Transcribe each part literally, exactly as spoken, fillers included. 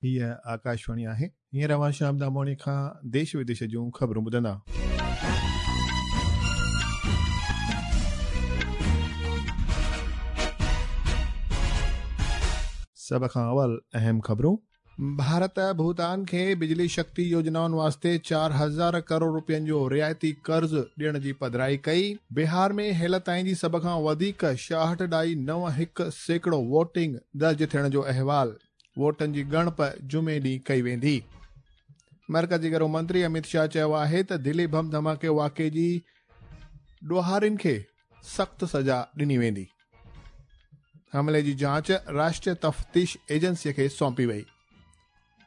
हीअ आकाशवाणी आहे। हींअर अव्हां श्याम दामोणी खां देश विदेश जूं ख़बरूं ॿुधंदा। सभ खां अवल अहम ख़बरूं। भारत भूटान खे बिजली शक्ति योजनाउनि वास्ते चार हज़ार करोड़ रुपयनि जो रियायती कर्ज़ ॾियण जी पधराई कई। बिहार में हेल ताईं जी सभ खां वधीक छाहठि ॾाई नव हिकु सैकड़ो वोटिंग दर्ज थियण जो अहवाल। वोटनि जी ॻणप जुमे ॾींहुं कई वेंदी। मर्कज़ी घरो मंत्री अमित शाह चयो आहे त दिल्ली बम धमाके वाक़े जी ॾोहारियुनि खे सख़्तु सज़ा ॾिनी वेंदी। हमले जी जांच राष्ट्रीय तफ़्तीश एजेंसीअ खे सौंपी वई।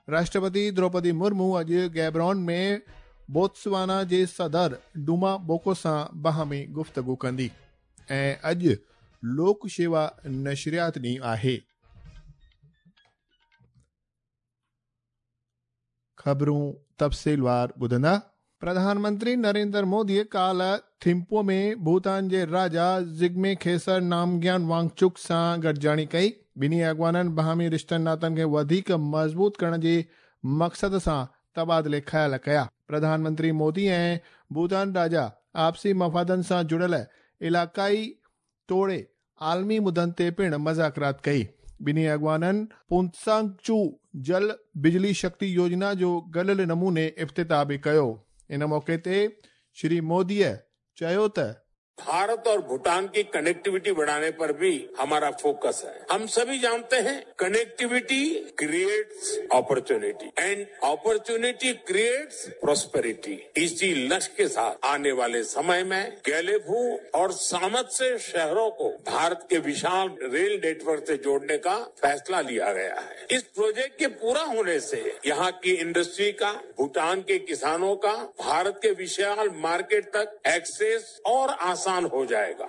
राष्ट्रपति द्रौपदी मुर्मू अॼु गैब्रॉन में बोत्सवाना जे सदर डुमा बोको सां बाहमी गुफ़्तगू कंदी। ऐं अॼु लोक शेवा नशरियात ॾींहुं आहे। ख़बरूं तफ़सीलवार ॿुधंदा। प्रधानमंत्री नरेंद्र मोदी काल्ह थिम्पू में भूटान जे राजा जिग्मे खेसर नामग्यान वांगचुक सां गॾिजाणी कई। ॿिन्ही अॻवाननि बाहमी रिश्तनि नातनि खे वधीक मज़बूत करण जे मक़सद सां तबादिले ख़्याल कया। प्रधानमंत्री मोदी ऐं भूटान राजा आपसी मफ़ादनि सां जुड़ियल इलाइक़ाई तोड़े आलमी मुदनि ते पिणु मज़ाकरात कई। ॿिन्ही अॻवाननि पुंत्सांगचू जल बिजली शक्ति योजना जो गॾियल नमूने इफ़्तिताह बि कयो। इन मौक़े ते श्री मोदीअ चयो त भारत और भूटान की कनेक्टिविटी बढ़ाने पर भी हमारा फोकस है। हम सभी जानते हैं connectivity creates opportunity and opportunity creates prosperity. इसी लक्ष्य के साथ आने वाले समय में गेलेफू और सामत्से शहरों को भारत के विशाल रेल नेटवर्क से जोड़ने का फैसला लिया गया है। इस प्रोजेक्ट के पूरा होने से यहाँ की इंडस्ट्री का, भूटान के किसानों का भारत के विशाल मार्केट तक एक्सेस और आसान हो जाएगा।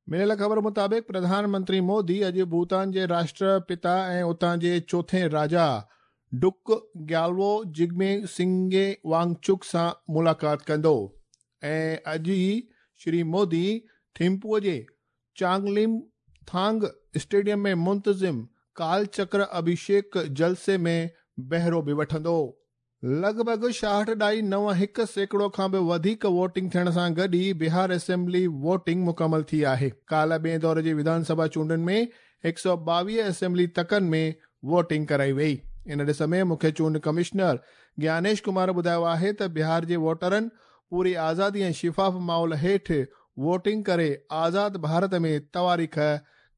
मिलियल ख़बर मुताबिक़ प्रधानमंत्री मोदी अॼु भूटान जे राष्ट्रपिता ऐं उतां जे चोथें राजा डुक ग्यालवो जिग्मे सिंगे वांगचुक सां मुलाक़ात कंदो। ऐं अॼु ई श्री मोदी थिम्पूअ जे चांगलिम थांग स्टेडियम में मुंतज़िम कालचक्र अभिषेक जलसे में बहिरो बि वठंदो। लॻभॻि छाहठि ॾाई नव हिकु सैकड़ो खां बि वधीक वोटिंग थियण सां गॾु ई बिहार असेंबली वोटिंग मुकमल थी आहे। काल्ह ॿिए दौर जी विधानसभा चूंडुनि में हिकु सौ ॿावीह असेंबली तकनि में वोटिंग कराई वई। इन ॾिस में मुख्य चूंड कमिश्नर ज्ञानेश कुमार ॿुधायो आहे त बिहार जे वोटरनि पूरी आज़ादी ऐं शिफ़ाफ़ माहौल हेठि वोटिंग करे आज़ाद भारत में तवारीख़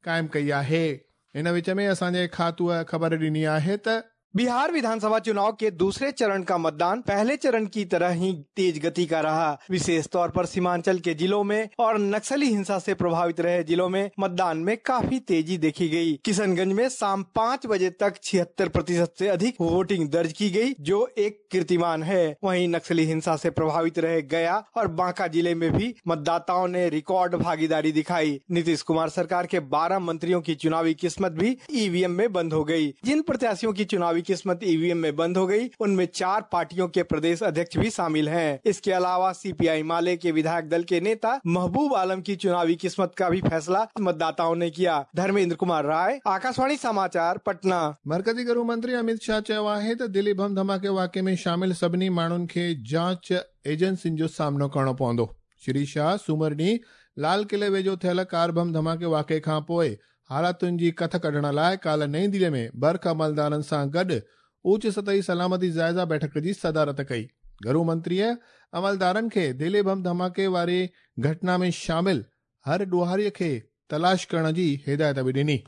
क़ाइमु कई आहे। इन विच में असांजे खातूअ ख़बर ॾिनी आहे त बिहार विधानसभा चुनाव के दूसरे चरण का मतदान पहले चरण की तरह ही तेज गति का रहा। विशेष तौर पर सीमांचल के जिलों में और नक्सली हिंसा से प्रभावित रहे जिलों में मतदान में काफी तेजी देखी गई। किशनगंज में शाम पाँच बजे तक छिहत्तर प्रतिशत से अधिक वोटिंग दर्ज की गई, जो एक कीर्तिमान है। वहीं नक्सली हिंसा से प्रभावित रहे गया और बांका जिले में भी मतदाताओं ने रिकॉर्ड भागीदारी दिखाई। नीतीश कुमार सरकार के बारह मंत्रियों की चुनावी किस्मत भी ई वी एम में बंद हो गयी। जिन प्रत्याशियों की चुनावी किस्मत ई वी एम में बंद हो गई, उनमें चार पार्टियों के प्रदेश अध्यक्ष भी शामिल हैं। इसके अलावा सी पी I माले के विधायक दल के नेता महबूब आलम की चुनावी किस्मत का भी फैसला मतदाताओं ने किया। धर्मेंद्र कुमार राय, आकाशवाणी समाचार, पटना। मर्कज़ी गृह मंत्री अमित शाह चयो आहे त दिल्ली बम धमाके वाक़े में शामिल सभिनी माण्हुनि खे जांच एजेंसियुनि जो सामनो करणो पवंदो। श्री शाह सूमर ॾींहुं लाल किले वेझो थियल कार बम धमाके वाक़े खां पोइ हालातुनि जी कथ कढण लाइ काल्ह नई दिल्ली में बर्ख अमलदारनि सां गॾु उच्च सतही सलामती जाइज़ा बैठक जी सदारत कई। घरू मंत्रीअ अमलदारनि खे दिल्ली बम धमाके वारी घटना में शामिल हर ॾोहारीअ खे तलाश करण जी हिदायत बि ॾिनी।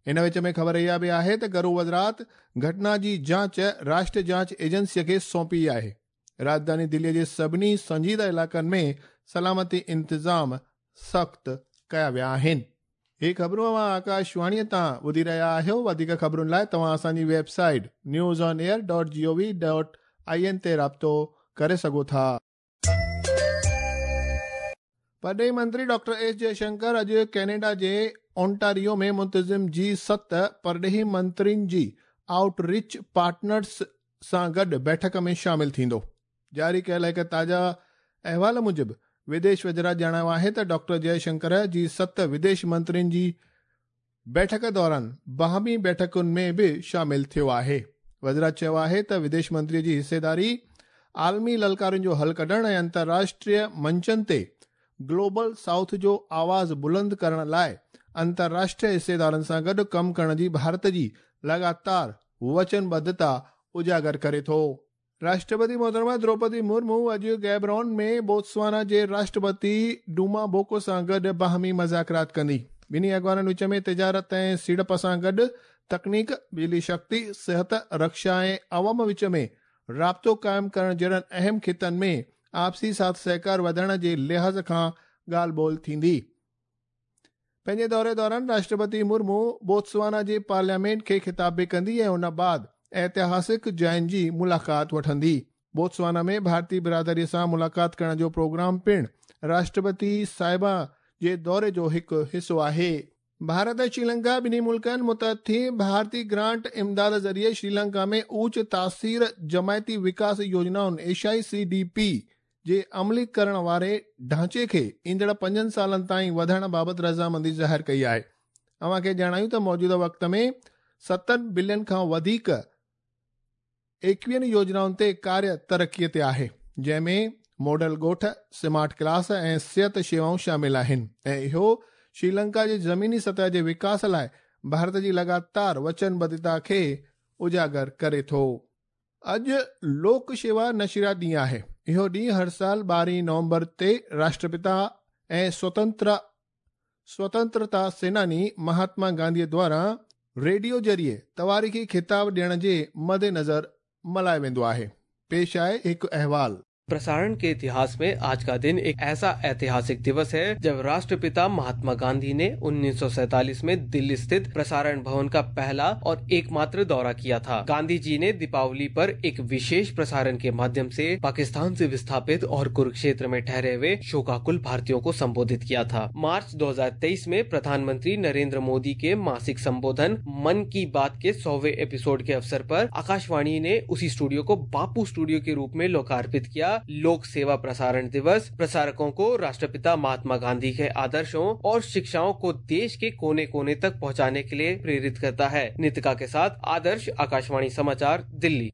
इन विच में ख़बर इहा बि आहे त घरू वज़ारत घटना जी जांच राष्ट्रीय जांच एजेंसीअ खे सौंपी आहे। राजधानी दिल्लीअ जे सभिनी संजीदा इलाइक़नि में सलामती इंतज़ाम सख़्तु कया विया आहिनि। ही ख़बरूं अव्हां आकाशवाणीअ तां ॿुधी रहिया आहियो। वधीक ख़बरुनि लाइ तव्हां असांजी website news on air dot G O V dot I N ते राब्तो करे सघो था। परॾेही मंत्री डॉक्टर एस जयशंकर अॼु कैनेडा जे ओंटारियो में मुंतज़िम जी सत परॾेही मंत्रियुनि जी आउटरीच पार्टनर्स सां गॾु बैठक में शामिल थींदो। जारी कयल हिकु ताज़ा अहवाल मूजिबि विदेश वज़ारत ॼाणायो आहे त डॉक्टर जयशंकर जी सत विदेश मंत्रियुनि जी बैठक दौरान बाहमी बैठकुनि में बि शामिल थियो आहे। वज़रात चयो आहे त विदेश मंत्रीअ जी हिस्सेदारी आलमी ललकारुनि जो हल कढण ऐं अंतर्राष्ट्रीय मंचनि ते ग्लोबल साउथ जो आवाज़ बुलंद करण लाइ अंतर्राष्ट्रीय हिस्सेदारनि सां गॾु कमु करण जी भारत जी लगातार वचनबद्धता उजागर करे थो। राष्ट्रपति मोहतरमा द्रौपदी मुर्मू अॼु गैबरोन में बोत्सवाना जे राष्ट्रपति डूमा बोको सां गॾु बाहमी मज़ाकरात कंदी। ॿिन्ही अॻवाननि विच में तिजारत ऐं सीड़प सां गॾु तकनीक, बिजली शक्ति, सिहत, रक्षा ऐं अवाम विच में राब्तो क़ाइमु करण जहिड़नि अहम ख़ितनि में आपसी साथ सहकार वधाइण जे लिहाज़ खां ॻाल्हि ॿोल थींदी। पंहिंजे दौरे दौरान राष्ट्रपति मुर्मू बोत्सवाना जे पार्लियामेंट खे ख़िताब बि कंदी ऐं उन बाद ऐतिहासिक जाइनि जी मुलाक़ात वठंदी। बोत्सवाना में भारतीय बिरादरीअ सां मुलाक़ात करण जो प्रोग्राम पिणु राष्ट्रपति साहिबा जे दौरे जो हिकु हिसो आहे। भारत ऐं श्रीलंका ॿिन्ही मुल्कनि मुतहद थी भारतीय ग्रांट इमदाद ज़रिए श्रीलंका में ऊच तासीर जमायती विकास योजनाउनि एशियाई सी डी पी जे अमली करण वारे ढांचे खे ईंदड़ पंजनि सालनि ताईं वधाइण बाबति रज़ामंदी ज़ाहिर कई आहे। अव्हां खे ॼाणायूं त मौजूदा वक़्त में सतनि बिलियन खां वधीक एकवीहनि योजनाउनि ते कार्य तरक़ीअ ते आहे, जंहिंमें मॉडल ॻोठ, स्मार्ट क्लास ऐं सिहत शेवाऊं शामिल आहिनि ऐं इहो श्रीलंका जे ज़मीनी सतह जे विकास लाइ भारत जी लगातार वचनबद्धता खे उजागर करे थो। अॼु लोक शेवा नशरियात ॾींहुं आहे। इहो ॾींहुं हर साल ॿारहीं नवंबर ते राष्ट्रपिता ऐं स्वतंत्र स्वतंत्रता सेनानी महात्मा गांधीअ द्वारा रेडियो ज़रिए तवारीख़ी ख़िताब ॾियण जे मद्देनज़र मल्हायो वेंदो आहे। पेश आहे हिकु अहवाल। प्रसारण के इतिहास में आज का दिन एक ऐसा ऐतिहासिक दिवस है जब राष्ट्रपिता महात्मा गांधी ने उन्नीस सौ सैतालीस में दिल्ली स्थित प्रसारण भवन का पहला और एकमात्र दौरा किया था। गांधी जी ने दीपावली पर एक विशेष प्रसारण के माध्यम से पाकिस्तान से विस्थापित और कुरुक्षेत्र में ठहरे हुए शोकाकुल भारतीयों को संबोधित किया था। मार्च दो हजार तेईस में प्रधानमंत्री नरेंद्र मोदी के मासिक संबोधन मन की बात के सौवें एपिसोड के अवसर पर आकाशवाणी ने उसी स्टूडियो को बापू स्टूडियो के रूप में लोकार्पित किया। लोक सेवा प्रसारण दिवस प्रसारकों को राष्ट्रपिता महात्मा गांधी के आदर्शों और शिक्षाओं को देश के कोने कोने तक पहुंचाने के लिए प्रेरित करता है। नितिका के साथ आदर्श, आकाशवाणी समाचार, दिल्ली।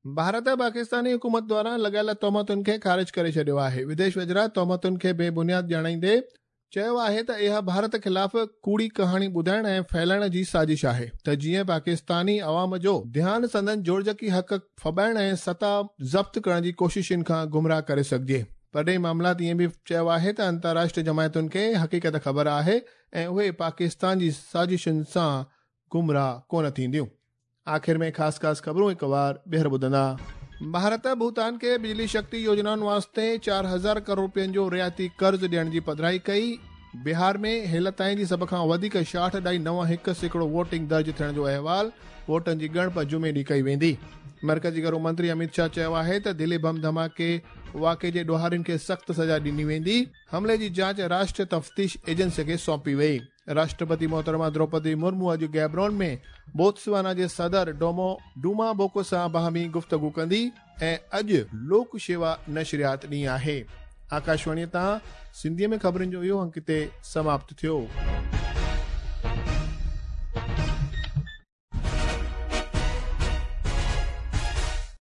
भारत पाकिस्तानी हुकूमत द्वारा लॻायल तोहमतुनि खे ख़ारिज करे छॾियो आहे। विदेश वज़रात तोहमतुनि खे बेबुनियाद ॼाणाईंदे चयो आहे त इहा भारत ख़िलाफ़ कूड़ी कहाणी ॿुधाइण ऐं फैलाइण जी साज़िश आहे त जीअं पाकिस्तानी अवाम जो ध्यानु संदन जोड़जकी हक़ फॿाइण ऐं सता ज़ब्त करण जी कोशिशुनि खां गुमराह करे सघिजे। परॾेही मामलात ईअं बि चयो आहे त अंतर्राष्ट्रीय जमायतुनि खे हक़ीक़त ख़बर आहे ऐं उहे पाकिस्तान जी साज़िशुनि सां गुमराह कोन थींदियूं। आख़िर में ख़ासि ख़ासि ख़बरूं हिकु वार ॿीहर ॿुधंदा। भारत भूटान खे बिजली शक्ति योजनाउनि वास्ते चार हज़ार करोड़ रुपयनि जो रियायती कर्ज़ ॾियण जी पधराई कई। बिहार में हेल ताईं जी सभ खां वधीक छाहठि ॾाई नव हिकु सैकड़ो वोटिंग दर्ज थियण जो अहवाल। वोटनि जी ॻणप जुमे ॾींहुं कई वेंदी। मर्कज़ी घरू मंत्री अमित शाह चयो आहे त दिल्ली बम धमाके वाक़े जे ॾोहारियुनि खे सख़्तु सज़ा ॾिनी वेंदी। हमले जी जांच राष्ट्रीय तफ़्तीश एजेंसी खे सौंपी वई। राष्ट्रपति मोहतरमा द्रौपदी मुर्मू अॼु गैबरोन में बोत्सवाना जे सदर डोमो डूमा बोको सां बाहमी गुफ़्तगू कंदी ऐं अॼु लोक शेवा नशरियात ॾींहुं आहे। आकाशवाणीअ तां सिंधीअ में ख़बरुनि जो इहो अंक हिते समाप्त थियो।